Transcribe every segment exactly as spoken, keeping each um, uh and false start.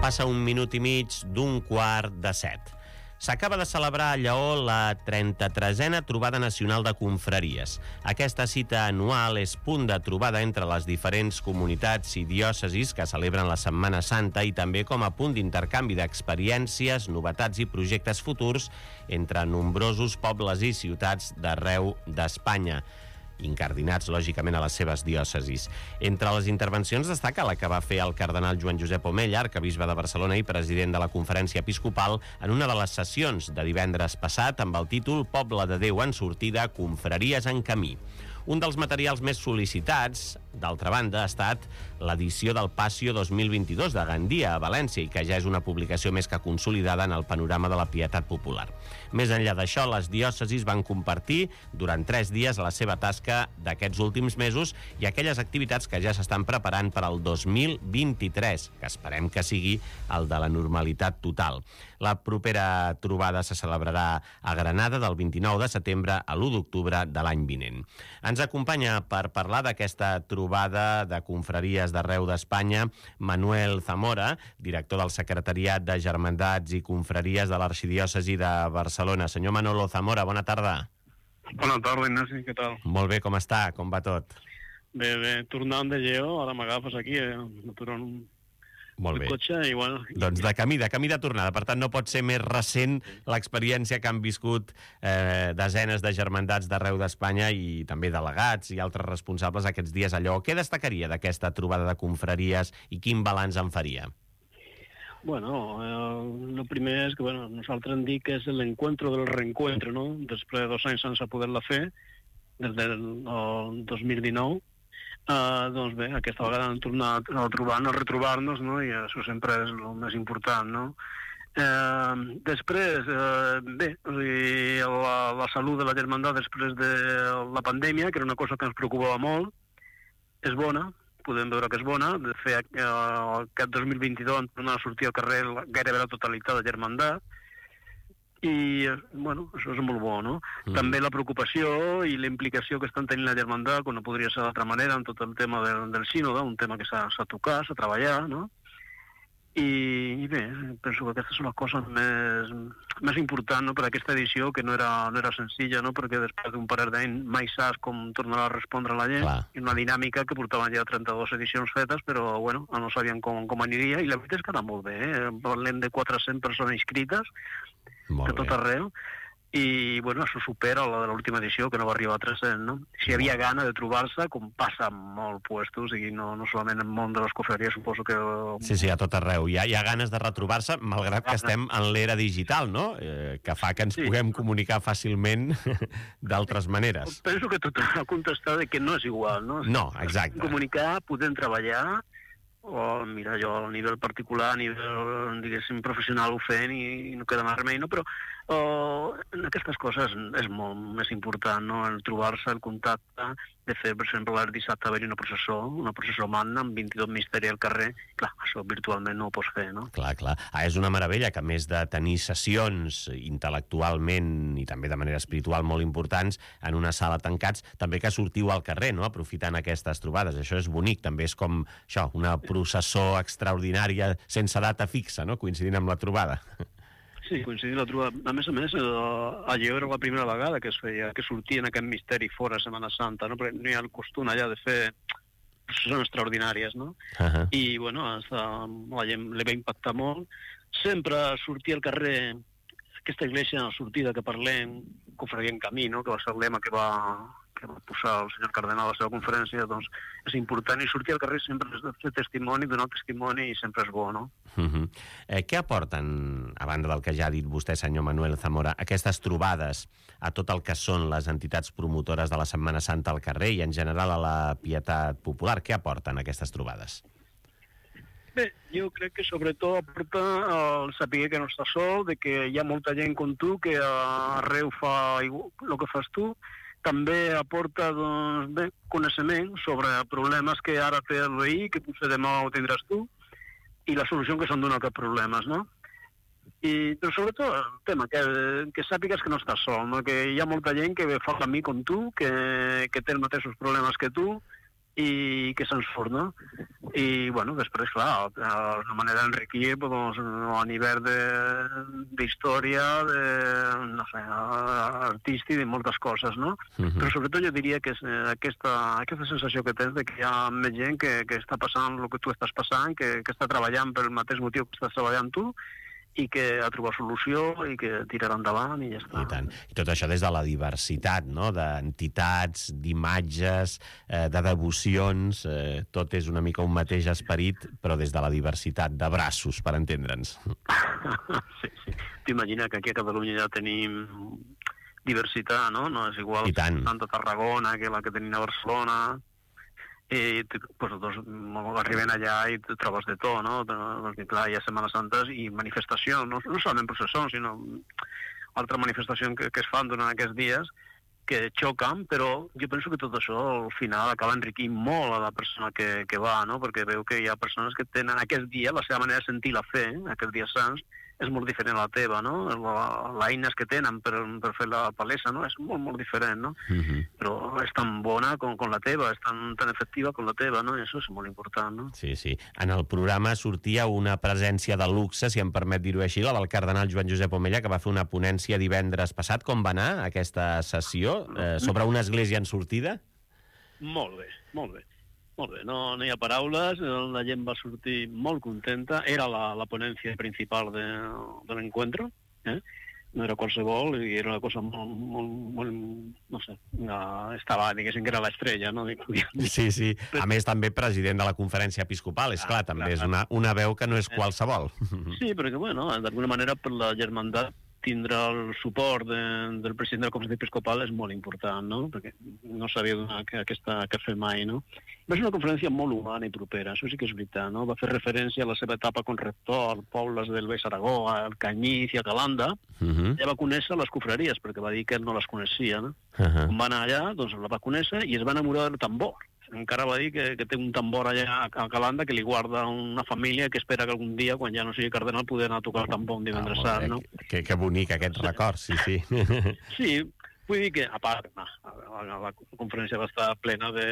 Passa un minut i mig d'un quart de set. S'acaba de celebrar a Lleó la trenta-tresena Trobada Nacional de Confraries. Aquesta cita anual és punt de trobada entre les diferents comunitats i diòcesis que celebren la Setmana Santa i també com a punt d'intercanvi d'experiències, novetats i projectes futurs entre nombrosos pobles i ciutats d'arreu d'Espanya, incardinats, lògicament, a les seves diòcesis. Entre les intervencions destaca la que va fer el cardenal Joan Josep Omella, arquebisbe de Barcelona i president de la Conferència Episcopal, en una de les sessions de divendres passat amb el títol Poble de Déu en sortida, confraries en camí. Un dels materials més sol·licitats, d'altra banda, ha estat l'edició del Passio dos mil vint-i-dos de Gandia, a València, i que ja és una publicació més que consolidada en el panorama de la pietat popular. Més enllà d'això, les diòcesis van compartir durant tres dies la seva tasca d'aquests últims mesos i aquelles activitats que ja s'estan preparant per al dos mil vint-i-tres, que esperem que sigui el de la normalitat total. La propera trobada se celebrarà a Granada del vint-i-nou de setembre a l'u d'octubre de l'any vinent. Ens acompanya per parlar d'aquesta trobada de confraries d'arreu d'Espanya Manuel Zamora, director del Secretariat de Germandats i Confraries de l'Arxidiòcesi de Barcelona. Senyor Manolo Zamora, bona tarda. Bona tarda, Ignasi, què tal? Molt bé, com està? Com va tot? Bé, bé, tornant de Lleó, ara m'agafes aquí, eh? M'aturen un... Molt bé. El cotxe i, bueno... Doncs de camí, de camí de tornada. Per tant, no pot ser més recent l'experiència que han viscut eh, desenes de germandats d'arreu d'Espanya i també delegats i altres responsables aquests dies allò. Què destacaria d'aquesta trobada de confraries i quin balanç en faria? Bueno, eh, el primer és que, bueno, nosaltres hem dit que és l'encuentro del reencuentro, no? Després de dos anys sense poder-la fer, des del dos mil dinou, Uh, doncs bé, aquesta vegada hem tornat a trobar-nos, a retrobar-nos, no? I això sempre és el més important, no? Uh, després, uh, bé, o sigui, la, la salut de la germandat després de la pandèmia, que era una cosa que ens preocupava molt, és bona, podem veure que és bona. De fet, uh, aquest dos mil vint-i-dos hem tornat a sortir al carrer gairebé la totalitat de germandat, i, bueno, això és molt bo, no? Mm. També la preocupació i la implicació que estan tenint la germandat, com no podria ser d'altra manera, en tot el tema del, del sínode, un tema que s'ha de tocar, s'ha de treballar, no? I, I bé, penso que aquestes són les coses més, més importants, no?, per aquesta edició, que no era, no era senzilla, no?, perquè després d'un parell d'anys mai saps com tornarà a respondre la gent. Clar. I una dinàmica que portaven ja trenta-dues edicions fetes, però, bueno, no sabien com, com aniria, i la veritat és que era molt bé, eh? Parlem de quatre-cents persones inscrites, de tot arreu, i bueno, això supera la de l'última edició, que no va arribar a tres-cents, no? Si hi havia gana de trobar-se, com passa en molts puestos, i no, no solament en el món de les confraries, suposo que... Sí, sí, a tot arreu. Hi ha, hi ha ganes de retrobar-se, malgrat que estem en l'era digital, no? Eh, que fa que ens sí. puguem comunicar fàcilment d'altres maneres. Penso que tot ha contestat de que no és igual, no? No, exacte. Comunicar, podem treballar, o mira, jo a nivell particular, a nivell, diguéssim, professional ho fent i, i no queda més remei, no? Però o, en aquestes coses és molt més important, no?, el trobar-se, el contacte, de fer, per exemple, el dissabte haver-hi una processó, una processó magna amb vint-i-dos misteris al carrer. Clar, això virtualment no ho pots fer, no? Clar, clar. Ah, és una meravella que, a més de tenir sessions intel·lectualment i també de manera espiritual molt importants en una sala tancats, també que sortiu al carrer, no?, aprofitant aquestes trobades. Això és bonic, també és com això, una processó extraordinària sense data fixa, no?, coincidint amb la trobada. Sí, coincidint la trobada. A més a més, a Lleó era la primera vegada que es feia, que sortien aquest misteri fora Setmana Santa, no?, perquè no hi ha el costum allà de fer processons extraordinàries, no? Uh-huh. I, bueno, hasta la gent li va impactar molt. Sempre sortir al carrer, aquesta església a sortida que parlem, confraria en camí, no?, que va ser el lema que va... que va posar el senyor cardenal a la seva conferència, doncs és important, i sortir al carrer sempre és de fer testimoni, donar testimoni, i sempre és bo, no? Uh-huh. eh, què aporten, a banda del que ja ha dit vostè, senyor Manuel Zamora, aquestes trobades a tot el que són les entitats promotores de la Setmana Santa al carrer i en general a la pietat popular? Què aporten aquestes trobades? Bé, jo crec que sobretot aporta el saber que no està sol, de que hi ha molta gent com tu que arreu fa el que fas tu. També aporta, doncs, bé, coneixement sobre problemes que ara té el veí, que potser demà ho tindràs tu, i la solució que s'han donat aquests problemes, no? I, però sobretot el tema, que, que sàpigues que no estàs sol, no? Que hi ha molta gent que fa el camí com tu, que, que té els mateixos problemes que tu, i que se'ns surt, no? I, bueno, després, clar, una manera d'enriquir doncs, a nivell d'història, de, de, no sé, artístic, de moltes coses, no? Uh-huh. Però sobretot jo diria que és aquesta, aquesta sensació que tens de que hi ha més gent que, que està passant el que tu estàs passant, que, que està treballant pel mateix motiu que estàs treballant tu, i que ha trobat solució i que tirarà endavant i ja està. I tant. I tot això des de la diversitat, no?, d'entitats, d'imatges, eh, de devocions, eh, tot és una mica un mateix esperit, però des de la diversitat de braços, per entendre'ns. Sí, sí. T'imagina que aquí a Catalunya ja tenim diversitat, no? No és igual tant a Tarragona que la que tenim a Barcelona. I pues, doncs, arriben allà i trobes de tot, no? Perquè, clar, hi ha Setmanes Santes i manifestacions, no, no solament processons, sinó altres manifestacions que, que es fan durant aquests dies que xoquen, però jo penso que tot això al final acaba enriquint molt a la persona que, que va, no? Perquè veu que hi ha persones que tenen aquest dia, la seva manera de sentir la fe, aquests dies sants, és molt diferent a la teva, no? L'eines que tenen per, per fer la palesa, no? És molt, molt diferent, no? Uh-huh. Però és tan bona com, com la teva, és tan, tan efectiva com la teva, no? I això és molt important, no? Sí, sí. En el programa sortia una presència de luxe, si em permet dir-ho així, la del cardenal Joan Josep Omella, que va fer una ponència divendres passat. Com va anar aquesta sessió eh, sobre una església en sortida? Molt bé, molt bé. Molt bé, no, no hi ha paraules, la gent va sortir molt contenta, era la, la ponència principal de, de l'encuentro, eh? No era qualsevol, i era una cosa molt, molt, molt no sé, no, estava, diguéssim que era l'estrella, no? Sí, sí, a més també president de la conferència episcopal, és clar, ah, també clar, és una, una veu que no és qualsevol. Sí, perquè, bueno, d'alguna manera per la germandat tindre el suport de, del president de la conferència episcopal és molt important, no? Perquè no s'havia donat que aquesta que fer mai, no? Va ser una conferència molt humana i propera, això sí que és veritat, no? Va fer referència a la seva etapa com rector als pobles del Baix Aragó, al Canyís i a Calanda. Uh-huh. Ja va conèixer les confraries, perquè va dir que ell no les coneixia, no? Uh-huh. Quan va anar allà, doncs la va conèixer i es va enamorar del tambor. Encara va dir que, que té un tambor allà a Calanda que li guarda una família que espera que algun dia, quan ja no sigui cardenal, poder anar a tocar el tambor un divendres sant, no? Que, que bonic aquest sí. record, sí, sí. Sí, vull dir que, a part, no, la, la conferència va estar plena de,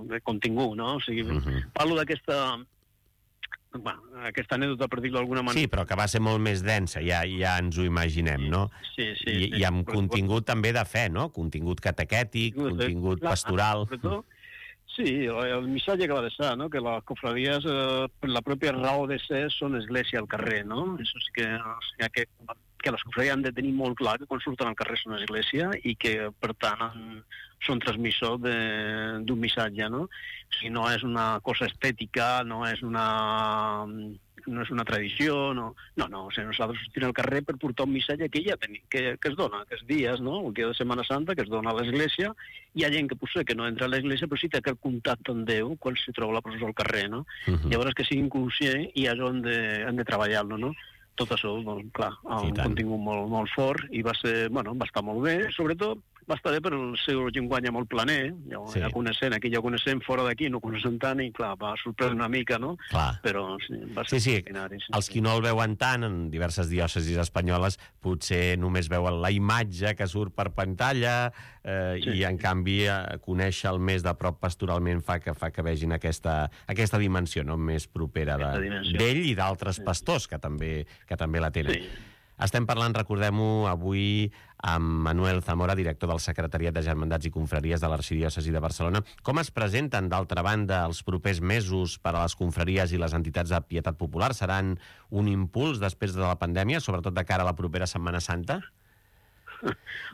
de contingut, no? O sigui, uh-huh. parlo d'aquesta... Bueno, aquesta anèdota, per dir-ho d'alguna manera... Sí, però que va ser molt més densa, ja, ja ens ho imaginem, no? Sí, sí. I, sí, i amb sí. contingut també de fe, no? Contingut catequètic, contingut clar, pastoral... Sí, el missatge que va deixar, no? Que les confraries, eh, per la pròpia raó de ser, són església al carrer, no? Això sí que, o sigui, que, que les confraries han de tenir molt clar que quan surten al carrer són església i que, per tant, han, són transmissors d'un missatge, no? O sigui, no és una cosa estètica, no és una... no és una tradició, no, no, no o sigui, nosaltres sortim al carrer per portar un missatge que ja tenim, que, que es dona, que és dies, no?, el dia de Setmana Santa, que es dona a l'Església, hi ha gent que potser que no entra a l'Església, però sí té aquest contacte amb Déu quan s'hi troba la processó al carrer, no? Uh-huh. Llavors que sigui inconscient i és on de, hem de treballar-lo, no? Tot això, doncs, clar, un contingut molt, molt fort i va ser, bueno, va estar molt bé, sobretot va estar bé per el seu llenguatge molt planer, ja, sí. ja coneixent, aquí ja coneixem, fora d'aquí no coneixem tant i, clar, va sorprendre una mica, no? Clar. Però sí, va ser sí, sí. sí. Els qui no el veuen tant en diverses diòcesis espanyoles potser només veuen la imatge que surt per pantalla eh, sí. i, en canvi, eh, conèixer el més de prop pastoralment fa que, fa que vegin aquesta, aquesta dimensió, no?, més propera d'ell i d'altres sí. pastors que també, que també la tenen. Sí. Estem parlant, recordem-ho, avui amb Manuel Zamora, director del Secretariat de Germandats i Confraries de l'Arxidiòcesi de Barcelona. Com es presenten, d'altra banda, els propers mesos per a les confraries i les entitats de pietat popular? Seran un impuls després de la pandèmia, sobretot de cara a la propera Setmana Santa?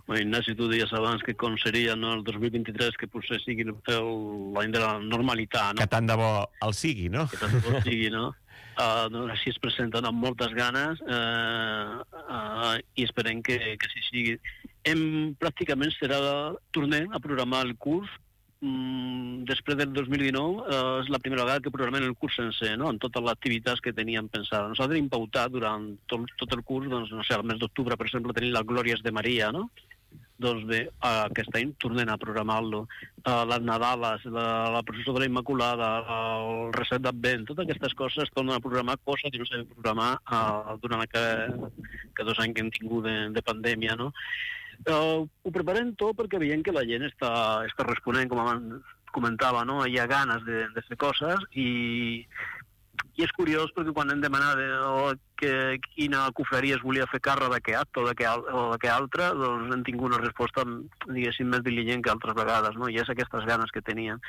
Bueno, Ignasi, tu deies abans que com seria, no, el dos mil vint-i-tres, que potser sigui l'any de la normalitat, no? Que tant de bo el sigui, no? Que tant de bo el sigui, no? Uh, doncs així es presenten amb moltes ganes uh, uh, i esperem que, que sí sigui. Hem, pràcticament serà, tornem a programar el curs um, després del dos mil dinou, uh, és la primera vegada que programem el curs sencer, no?, en totes les activitats que teníem pensades. Nosaltres hem pautat durant tot, tot el curs, doncs, no sé, al mes d'octubre, per exemple, tenim les Glòries de Maria, no? Doncs bé, uh, aquest any tornem a programar-lo. Uh, les Nadales, la, la processó de la Immaculada, uh, el reset d'Advent, totes aquestes coses es tornen a programar, coses que no s'han de programar uh, durant aquest, que dos anys que hem tingut de, de pandèmia, no? Uh, ho preparem tot perquè veiem que la gent està, està responent, com abans comentava, no? Hi ha ganes de, de fer coses i, i és curiós perquè quan hem demanat oh, que quina confraria es volia fer càrrec d'aquest acte o d'aquest altre, doncs hem tingut una resposta, diguéssim, més diligent que altres vegades, no? I és aquestes ganes que tenien.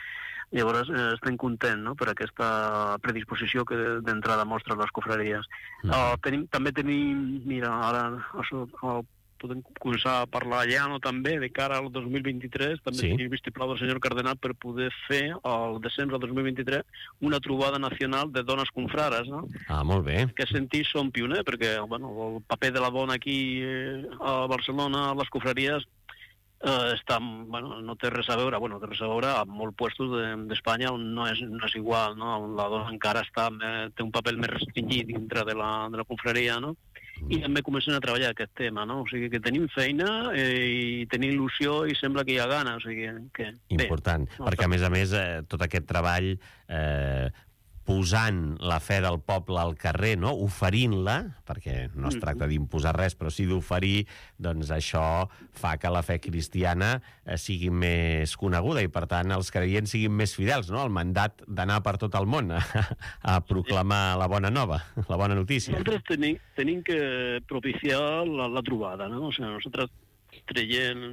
Llavors eh, estem contents, no?, per aquesta predisposició que d'entrada mostren les confraries. Mm. Uh, tenim, també tenim, mira, ara això, uh, podem començar a parlar ja, no, també, de cara al dos mil vint-i-tres, també sí. Tenim vistiplau del senyor Cardenal per poder fer, al desembre del dos mil vint-i-tres, una trobada nacional de dones confrares, no? Ah, molt bé. En aquest sentit som pioners, perquè bueno, el paper de la dona aquí eh, a Barcelona, a les confraries, eh, està, bueno, no té res a veure, bueno, té res a veure amb molts puestos d'Espanya on no és, no és igual, no? On la dona encara està, eh, té un paper més restringit dintre de la, de la confraria, no? I també comencem a treballar aquest tema, no? O sigui que tenim feina eh, i tenim il·lusió i sembla que hi ha gana, o sigui que... Important, bé, perquè a més a més eh, tot aquest treball eh, posant la fe del poble al carrer, no? Oferint-la, perquè no es tracta d'imposar res, però sí d'oferir, doncs això fa que la fe cristiana eh, sigui més coneguda i, per tant, els creients siguin més fidels, no?, al mandat d'anar per tot el món a, a proclamar la bona nova, la bona notícia. Nosaltres tenim, tenim que propiciar la, la trobada, no? O sigui, nosaltres traient...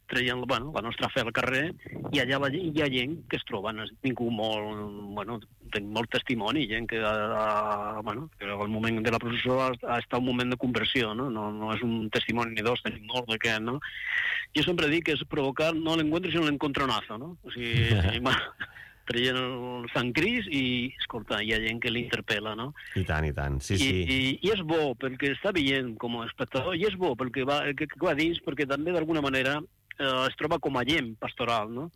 traient bueno, la nostra fe al carrer, i allà la, hi ha gent que es troben, has tingut molt, bueno, tinc molt testimoni, gent que, a, bueno, que al moment de la processó ha, ha estat un moment de conversió, no? No, no és un testimoni ni dos, tenim molt d'aquest, no? Jo sempre dic que és provocar no l'encuentro, sinó l'encontronazo, no? O sigui, bueno, traient el Sant Cris i, escolta, hi ha gent que l'interpel·la, no? I tant, i tant, sí, I, sí. I, I és bo, perquè està veient com a espectador, i és bo, perquè va, que, que va dins, perquè també d'alguna manera es troba com a gent pastoral, no?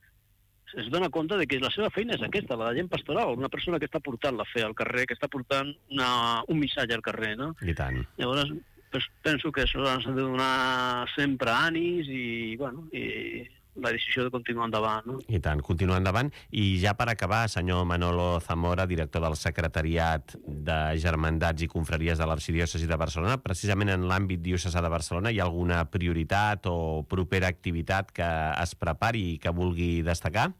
Es dona compte de que la seva feina és aquesta, la de gent pastoral, una persona que està portant la fe al carrer, que està portant una, un missatge al carrer, no? I tant. Llavors, pues, penso que això s'ha de donar sempre ànims i, bueno, i la decisió de continuar endavant, no? I tant, continuar endavant. I ja per acabar, senyor Manolo Zamora, director del Secretariat de Germandats i Confraries de l'Arxidiòcesi de Barcelona, precisament en l'àmbit diocesà de Barcelona, hi ha alguna prioritat o propera activitat que es prepari i que vulgui destacar?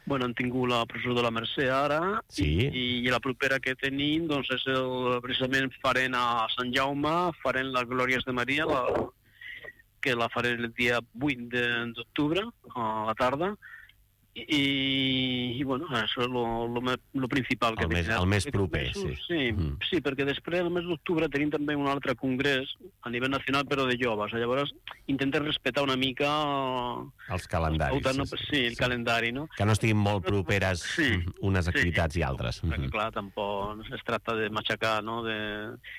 Bueno, hem tingut la processó de la Mercè ara, sí. i, i la propera que tenim, doncs, és el, precisament farem a Sant Jaume, farem les Glòries de Maria, la, que la faré el dia vuit d'octubre, a la tarda, i, i bueno, això és el principal. El, que més, el més proper, sí. Sí, mm. sí, perquè després, el mes d'octubre, tenim també un altre congrés a nivell nacional, però de joves. Llavors, intentem respectar una mica... Els calendaris. El, no, sí, el sí. calendari, no? Que no estiguin molt properes sí, unes activitats sí. i altres. Perquè, clar, tampoc es tracta de matxacar, no?, de,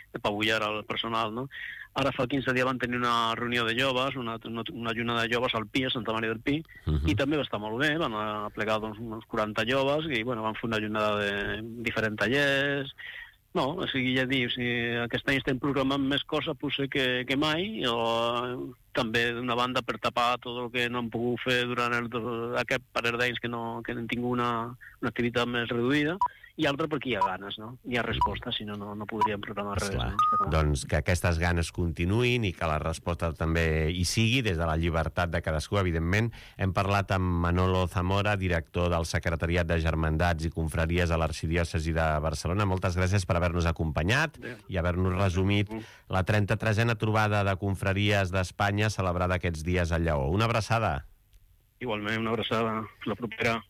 de pavullar al personal, no? Ara fa quinze dies van tenir una reunió de joves, una, una, una lluna de joves al Pi, a Santa Maria del Pi, uh -huh. i també va estar molt bé, van aplegar doncs, uns quaranta joves i bueno, van fer una llunada de diferents tallers. No, o sigui, ja dius, si aquest any estem programant més coses potser que, que mai, o també d'una banda per tapar tot el que no hem pogut fer durant el, aquest parell d'anys que, no, que hem tingut una, una activitat més reduïda, i altra perquè hi ha ganes, no? Hi ha resposta, si no, no, no podríem programar res. No? Doncs que aquestes ganes continuïn i que la resposta també hi sigui, des de la llibertat de cadascú, evidentment. Hem parlat amb Manolo Zamora, director del Secretariat de Germandats i Confraries a l'Arxidiòcesi de Barcelona. Moltes gràcies per haver-nos acompanyat Bé. i haver-nos resumit la trenta-tresena trobada de confraries d'Espanya celebrada aquests dies a Lleó. Una abraçada. Igualment, una abraçada. La propera.